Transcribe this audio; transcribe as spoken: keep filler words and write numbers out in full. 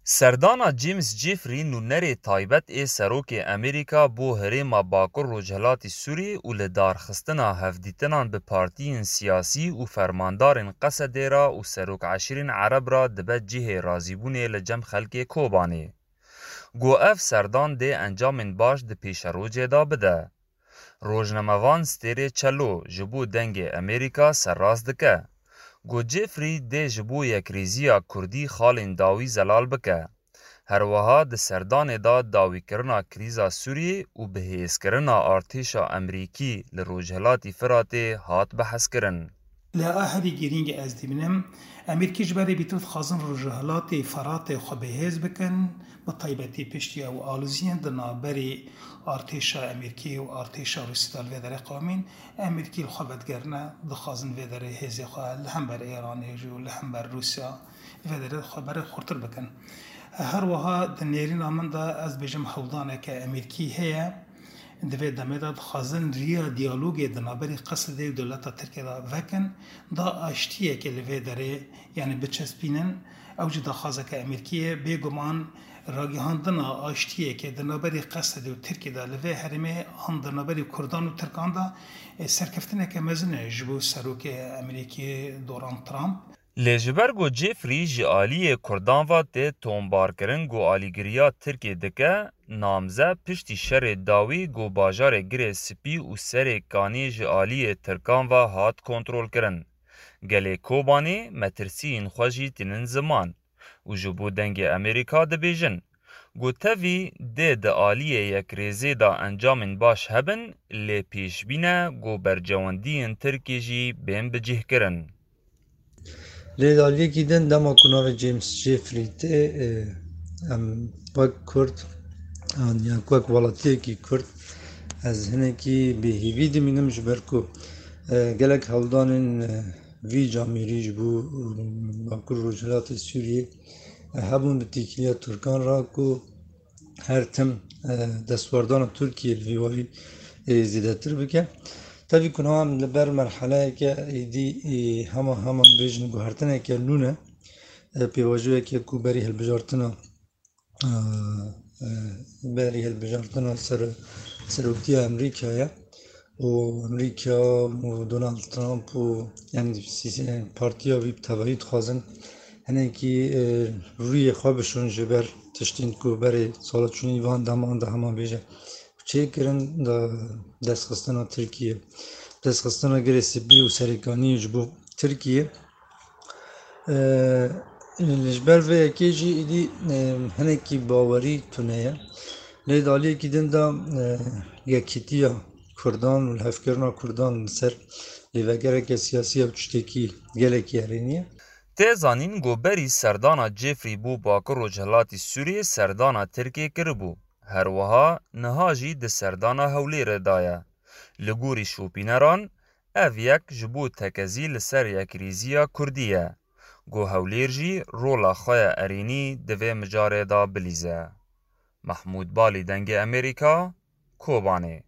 Serdana James Jeffrey nûnerê taybet ê Serokê Amerîka bo herêma Bakur Rojhilatî Sûriyê û li darxistina hevdîtinan bi partiyên siyasî û fermandarên Qesedê ra û serok eşîrên Ereb ra dibe cihê razîbûnê li cem xelkê Kobanê. Got ev serdan dê encamên baş di pêşerojê de bide. Rojnamevan Stêrê Çelo ji bo Dengê Amerîka serrast dike. Got Jeffrey dê ji bo yekrêziya Kurdî xalên dawî zelal bike. Her wiha di serdanê de dawîkirina krîza Sûriyê û bihêzkirina artêşa Amerîkî li Rojhilatî Firatê hat behskirin. Lê a herî girîng ez dibînim, Amerîkî ji berê bîtir dixwazin Rojhilatê Firatê xwe bihêz bikin, bi taybetî piştî ew aloziyên di navberî artêşa Amerîkî û artêşa Rûsî de li vê derê qewimîn. Amerîkî li xwe vedigerine, dixwazin vê derê hêzê xwe li hember Îranê jî û li hember Rûsya li vê derê xwe berê xurtir bikin. Her wiha di nêrîna min de ez dibêjim hewldaneke Amerîkî heye. Di vê demê de dixwazin riya diyalogê di navberî Qesedê û dewleta Tirkiyê de vekin, da aştiyekê li vê derê, yanî biçespînin. Ew jî daxwazeke Amerîkî ye. Bêguman ragihandina aştiyekê di navberî Qesedê û Tirkiyê de li vê herêmê an di navberî Kurdan û Tirkan de, e, serkeftineke mezin e ji bo serokê Amerîkî Donald Trump. Lê ji ber ku Jeffrey ji aliyê Kurdan ve tê tombarkirin ku alîgiriya Tirkiyê dike, namze piştî şerê dawî ku bajarê Girê Spî û Serê Kanî ji aliyê Tirkan ve hat kontrolkirin. Gelê Kobanê metirsiyên xwe jî tînin ziman û ji bo Dengê Amerîka dibêjin ku tevî dê di aliyê yekrêzê de encamên baş hebin, lê pêşbîn e ku bercewendiyên Tirkiyê jî bên bicihkirin. Lê di aliyekî din dema ku navê James Jeffrey tê, e, em wek Kurd, an ya wek welatiyekî Kurd, ez hinekî bêhîvî dimînim ji ber ku, e, gelek hewldanên, e, vî camêrî ji bo, e, Bakur Rojhilatê Sûriyê, e, hebûn bi têkiliya Tirkan re ku her tim, e, destwerdana Tirkiyê li vî warî, e, zêdetir bike. Tevî ku niha em li ber merheleyeke êdî, e, hema hema bêjin guhertineke nû ne, e, pêvajoyeke ku berî hilbijartina, e, e, berî hilbijartina ser-, seroktiya Amerîkayê û Amerîka û Donald Trump û, yanî, sî-, partiya wî bi tevahî dixwazin hinekî, e, rûyê xwe bişon ji ber tiştên ku berê sala çûnî van deman de hema bêje çêkirin, da destxistina Tirkiyê, destxistina Girê Spî û Serêkaniyê ji bo Tirkiyê. E, ji ber vê yekê jî êdî, e, hinekî bawerî tune ye. Lê di aliyekî din de, e, yekîtiya Kurdan û lihevkirina Kurdan li ser lêvegereke siyasî ew tiştekî gelekî erênî ye. Tê zanîn ku berî serdana Jeffrey bû Bakur Rojhilatî Sûriyê serdana Tirkiyê kiribû. Her wiha niha jî di serdana Hewlêrê de ye. Li gorî şopîneran, ev yek ji bo tekezî li ser yekrêziya Kurdî ye. Ku Hewlêr jî rola xwe ya erênî di vê mijarê de bilîze. Mehmûd Balî, Dengê Amerîka, Kobanê.